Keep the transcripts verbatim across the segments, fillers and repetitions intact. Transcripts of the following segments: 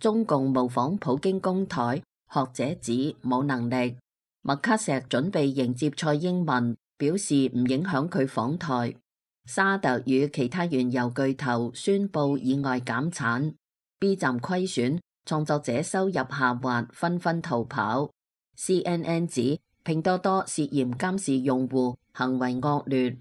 中共模仿普京攻台，學者指冇能力。麥卡錫準備迎接蔡英文，表示唔影響佢訪台。沙特與其他原油巨頭宣布意外減產。B 站虧損，創作者收入下滑，紛紛逃跑。C N N 指拼多多涉嫌監視用戶，行為惡劣。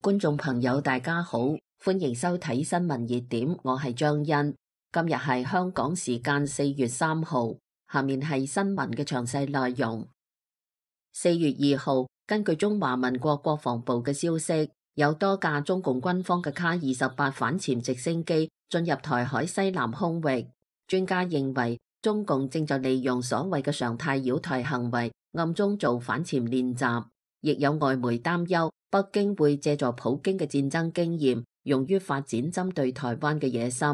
觀眾朋友大家好，歡迎收睇新聞熱點，我係張欣。今日係香港時間四月三號，下面係新聞嘅詳細內容。四月二號，根據中華民國國防部嘅消息，有多架中共軍方嘅卡二十八反潛直升機進入台海西南空域。專家認為，中共正在利用所謂嘅常態擾台行為，暗中做反潛練習。亦有外媒擔憂，北京會借助普京嘅戰爭經驗，用於發展針對台灣嘅野心。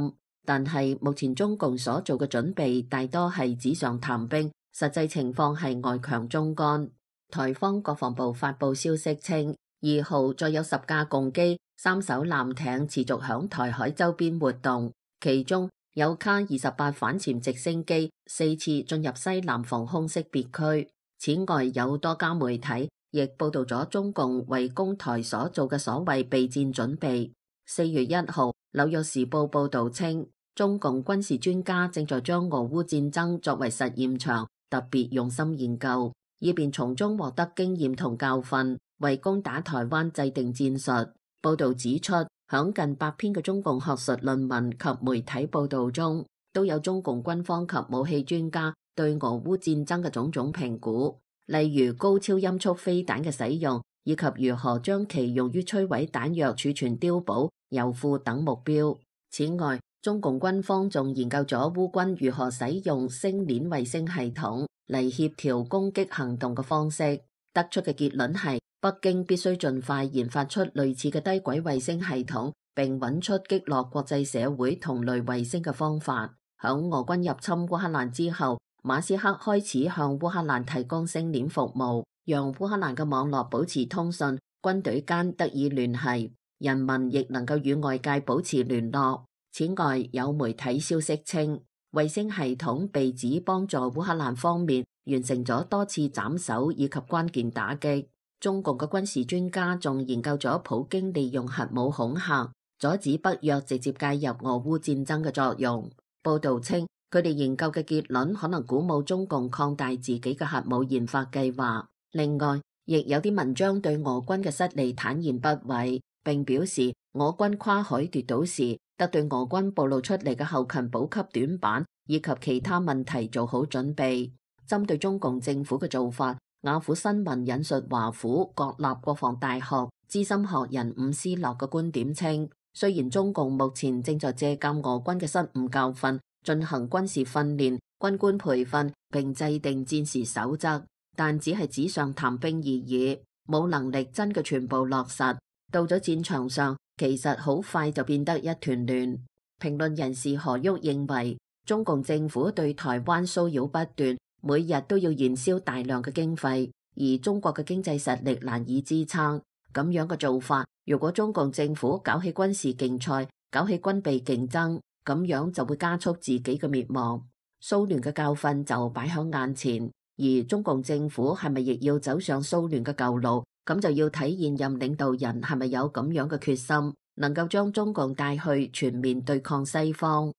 但係目前中共所做嘅準備大多係紙上談兵，實際情況係外強中乾。台方國防部發布消息稱，二號再有十架共機、三艘艦艇持續響台海周邊活動，其中有卡二十八反潛直升機四次進入西南防空識別區。此外，有多家媒體亦報道咗中共為攻台所做嘅所謂備戰準備。四月一號，紐約時報報道稱，中共軍事專家正在將俄烏戰爭作為實驗場，特別用心研究，以便從中獲得經驗同教訓，為攻打台灣制定戰術。報道指出，響近百篇嘅中共學術論文及媒體報道中，都有中共軍方及武器專家對俄烏戰爭嘅種種評估。例如高超音速飛彈嘅使用，以及如何將其用於摧毀彈藥儲存碉堡、油庫等目標。此外，中共軍方仲研究咗烏軍如何使用星鏈衛星系統嚟協調攻擊行動嘅方式。得出嘅結論係，北京必須盡快研發出類似嘅低軌衛星系統，並揾出擊落國際社會同類衛星嘅方法。響俄軍入侵烏克蘭之後，馬斯克開始向烏克蘭提供星鏈服務，讓烏克蘭嘅網絡保持通訊，軍隊間得以聯繫，人民亦能夠與外界保持聯絡。此外，有媒體消息稱，衛星系統被指幫助烏克蘭方面完成咗多次斬首以及關鍵打擊。中共嘅軍事專家仲研究咗普京利用核武恐嚇，阻止北約直接介入俄烏戰爭嘅作用。報道稱，佢哋研究嘅結論可能鼓舞中共擴大自己嘅核武研發計劃。另外，亦有啲文章對俄軍嘅失利坦言不諱，並表示俄軍跨海奪島時，得對俄軍暴露出嚟嘅後勤補給短板以及其他問題做好準備。針對中共政府嘅做法，雅虎新聞引述華府國立國防大學資深學人伍斯諾嘅觀點稱，雖然中共目前正在借鑑俄軍嘅失誤教訓，進行軍事訓練、軍官培訓並制定戰時守則，但只係紙上談兵而已，冇能力真嘅全部落實。到咗戰場上，其實好快就變得一團亂。評論人士何旭認為，中共政府對台灣騷擾不斷，每日都要燃燒大量嘅經費，而中國嘅經濟實力難以支撐。咁樣嘅做法，如果中共政府搞起軍事競賽、搞起軍備競爭，咁樣就會加速自己嘅滅亡。蘇聯嘅教訓就擺喺眼前，而中共政府係咪亦要走上蘇聯嘅舊路？咁就要睇現任領導人係咪有咁樣嘅決心，能夠將中共帶去全面對抗西方。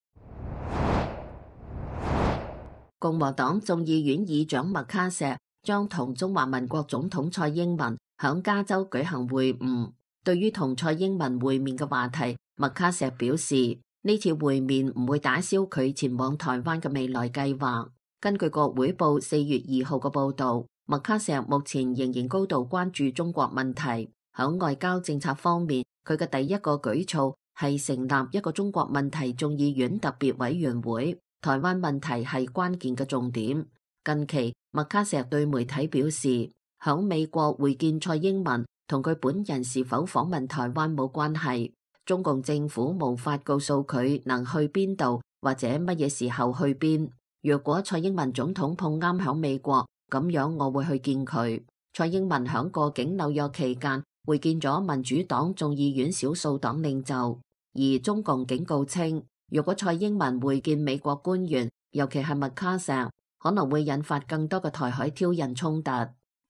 共和黨眾議院議長麥卡錫將同中華民國總統蔡英文響加州舉行會晤。對於同蔡英文會面嘅話題，麥卡錫表示，呢次會面唔會打消佢前往台灣嘅未來計劃。根據國會報四月二號嘅報導，麥卡錫目前仍然高度關注中國問題。響外交政策方面，佢嘅第一個舉措係成立一個中國問題眾議院特別委員會，台灣問題係關鍵嘅重點。近期，麥卡錫對媒體表示，響美國會見蔡英文同佢本人是否訪問台灣冇關係，中共政府無法告訴佢能去邊度或者乜嘢時候去邊。若果蔡英文總統碰啱響美國，咁樣我會去見佢。蔡英文響過境紐約期間，會見咗民主黨眾議院少數黨領袖，而中共警告稱，如果蔡英文會見美國官員，尤其係麥卡錫，可能會引發更多嘅台海挑釁衝突。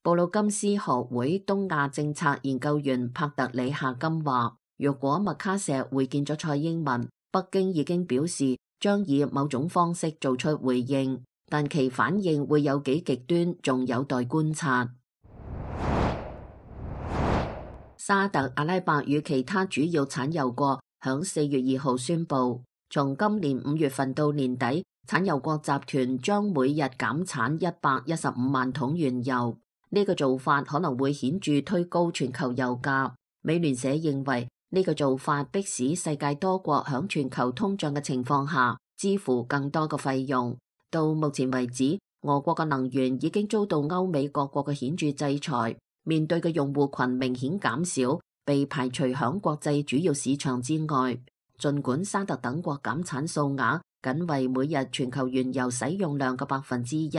布魯金斯學會東亞政策研究員帕特里夏金話，如果麥卡錫會見咗蔡英文，北京已經表示將以某種方式做出回應，但其反應會有幾極端，仲有待觀察。沙特阿拉伯與其他主要產油國響四月二號宣布，從今年五月份到年底，產油國集團將每日減產一百一十五萬桶原油。呢個做法可能會顯著推高全球油價。美聯社認為呢個做法迫使世界多國響全球通脹嘅情況下支付更多嘅費用。到目前為止，俄國嘅能源已經遭到歐美各國嘅顯著制裁。面對嘅用戶群明顯減少，被排除響國際主要市場之外。儘管沙特等國減產數額僅為每日全球原油使用量嘅百分之一，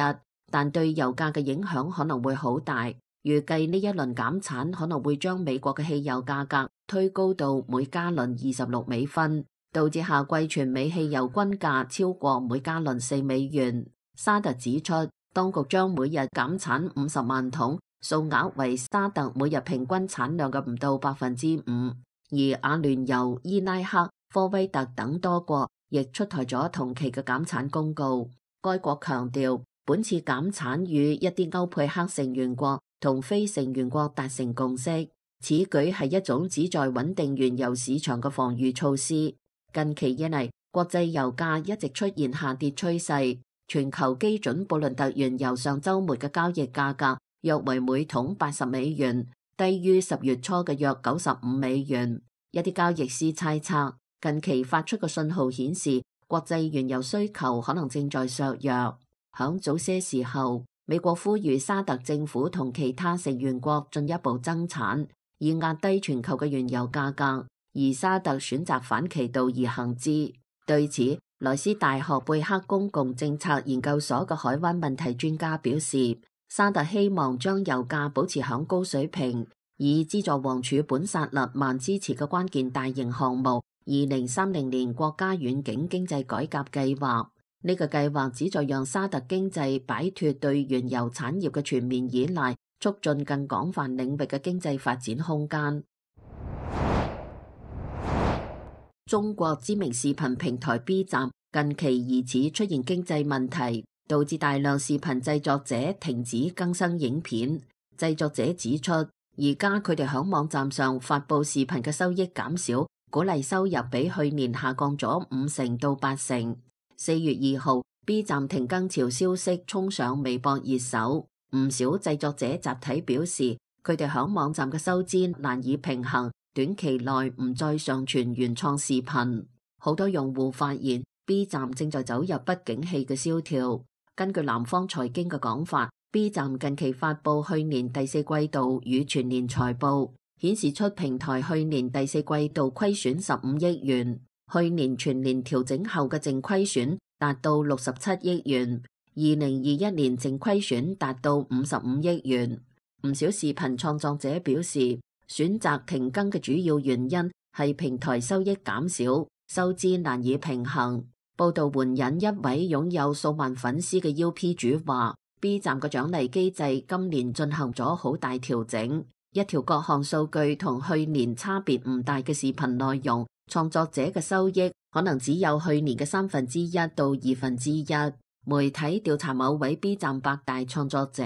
但對油價嘅影響可能會好大。預計呢一輪減產可能會將美國嘅汽油價格推高到每加侖二十六美分，導致夏季全美汽油均價超過每加侖四美元。沙特指出，當局將每日減產五十萬桶。數額為沙特每日平均產量嘅唔到百分之五，而阿聯酋、伊拉克、科威特等多國亦出台咗同期嘅減產公告。該國強調，本次減產與一啲歐佩克成員國同非成員國達成共識，此舉係一種旨在穩定原油市場嘅防禦措施。近期以嚟，國際油價一直出現下跌趨勢，全球基準布倫特原油上週末嘅交易價格約為每桶八十美元，低於十月初嘅約九十五美元。一啲交易師猜測，近期發出嘅信號顯示，國際原油需求可能正在削弱。響早些時候，美國呼籲沙特政府同其他成員國進一步增產，以壓低全球嘅原油價格，而沙特選擇反其道而行之。對此，萊斯大學貝克公共政策研究所嘅海灣問題專家表示，沙特希望將油價保持響高水平，以資助王儲本薩勒曼支持嘅關鍵大型項目二零三零年國家遠景經濟改革計劃。呢個計劃旨在讓沙特經濟擺脫對原油產業嘅全面依賴，促進更廣泛領域嘅經濟發展空間。中國知名視頻平台 B 站近期疑似出現經濟問題，導致大量視頻製作者停止更新影片。製作者指出，而家佢哋響網站上發佈視頻嘅收益減少，鼓勵收入比去年下降咗五成到八成。四月二號 B 站停更潮消息衝上微博熱搜，唔少製作者集體表示，佢哋響網站嘅收支難以平衡，短期內唔再上傳原創視頻。好多用戶發現 B 站正在走入不景氣嘅蕭條。根據南方財經嘅講法， B 站近期發布去年第四季度與全年財報，顯示出平台去年第四季度虧損十五億元，去年全年調整後嘅淨虧損達到六十七億元，二零二一年淨虧損達到五十五億元。唔少視頻創作者表示，選擇停更嘅主要原因係平台收益減少，收支難以平衡。報道援引一位擁有數萬粉絲嘅 U P 主話， B 站嘅獎勵機制今年進行咗好大調整，一條各項數據同去年差別唔大嘅視頻內容，創作者嘅收益可能只有去年嘅三分之一到二分之一。媒體調查某位 B 站百大創作者，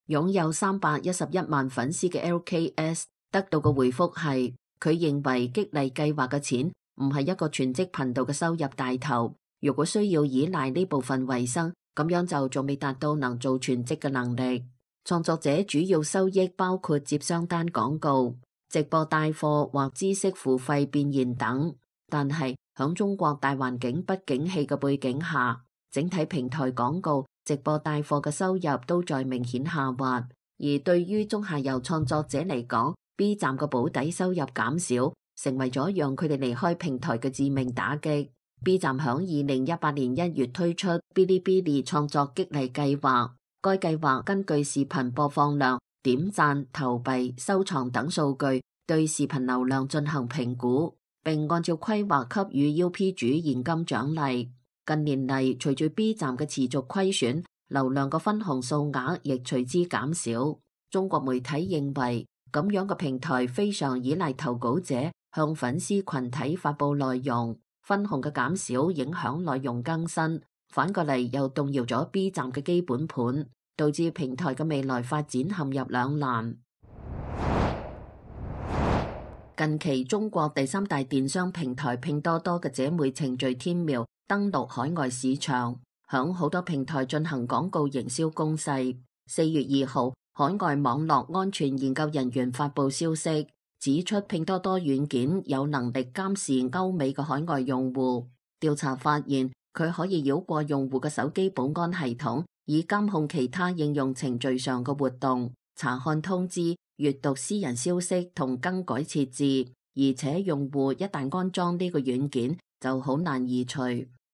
擁有三百一十一萬粉絲嘅 L K S 得到嘅回覆係，佢認為激勵計劃嘅錢唔係一個全職頻道嘅收入大頭，如果需要依賴呢部分為生，咁樣就仲未達到能做全職嘅能力。創作者主要收益包括接商單廣告、直播帶貨或知識付費變現等。但係響中國大環境不景氣嘅背景下，整體平台廣告、直播帶貨嘅收入都在明顯下滑。而對於中下游創作者嚟講， B 站嘅保底收入減少，成為咗讓佢哋離開平台嘅致命打擊。B 站響二零一八年一月推出嗶哩嗶哩創作激勵計劃，該計劃根據視頻播放量、點讚、投幣、收藏等數據，對視頻流量進行評估，並按照規劃給予 U P 主現金獎勵。近年嚟，隨住 B 站嘅持續虧損，流量嘅分紅數額亦隨之減少。中國媒體認為，咁樣嘅平台非常依賴投稿者向粉絲群體發佈內容，分紅嘅減少影響內容更新，反過嚟又動搖咗 B 站嘅基本盤，導致平台嘅未來發展陷入兩難。近期，中國第三大電商平台拼多多嘅姐妹程序天貓登陸海外市場，響好多平台進行廣告營銷攻勢。四月二號，海外網絡安全研究人員發佈消息，指出拼多多軟件有能力監視歐美嘅海外用戶。調查發現，佢可以繞過用戶嘅手機保安系統，以監控其他應用程序上嘅活動，查看通知、閱讀私人消息同更改設置。而且用戶一旦安裝呢個軟件，就好難移除。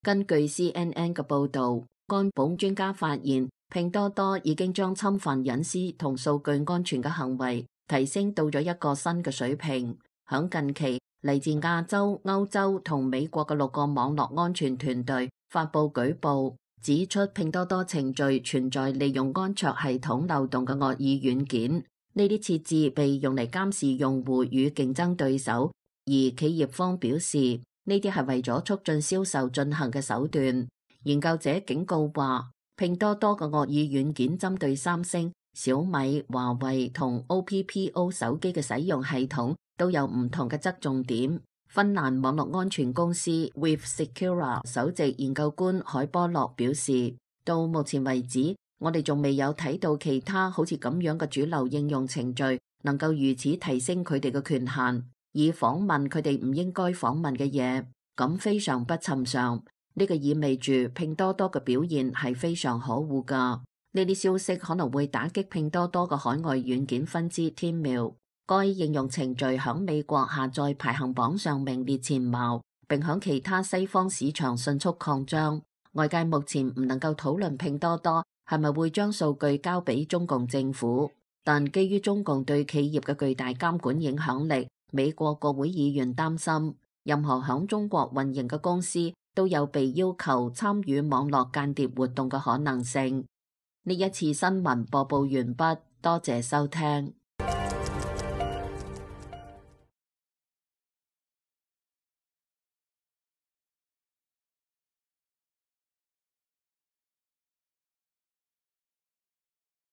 根據 C N N 嘅報導，安保專家發現，拼多多已經將侵犯隱私同數據安全嘅行為提升到咗一個新嘅水平。響近期，嚟自亞洲、歐洲同美國嘅六個網絡安全團隊發佈舉報，指出拼多多程序存在利用安卓系統漏洞嘅惡意軟件。呢啲設置被用嚟監視用戶與競爭對手，而企業方表示呢啲係為咗促進銷售進行嘅手段。研究者警告話，拼多多嘅惡意軟件針對三星、小米、華為同 O P P O 手機嘅使用系統都有唔同嘅側重點。芬蘭網絡安全公司 WithSecura 首席研究官海波洛表示，到目前為止，我哋仲未有睇到其他好似咁樣嘅主流應用程序能夠如此提升佢哋嘅權限，以訪問佢哋唔應該訪問嘅嘢，咁非常不尋常。呢個意味住拼多多嘅表現係非常可惡㗎。呢啲消息可能會打擊拼多多嘅海外軟件分支天貓。該應用程序響美國下載排行榜上名列前茅，並響其他西方市場迅速擴張。外界目前唔能夠討論拼多多係咪會將數據交俾中共政府，但基於中共對企業嘅巨大監管影響力，美國國會議員擔心任何響中國運營嘅公司都有被要求參與網絡間諜活動嘅可能性。呢一次新聞播報完畢，多謝收聽。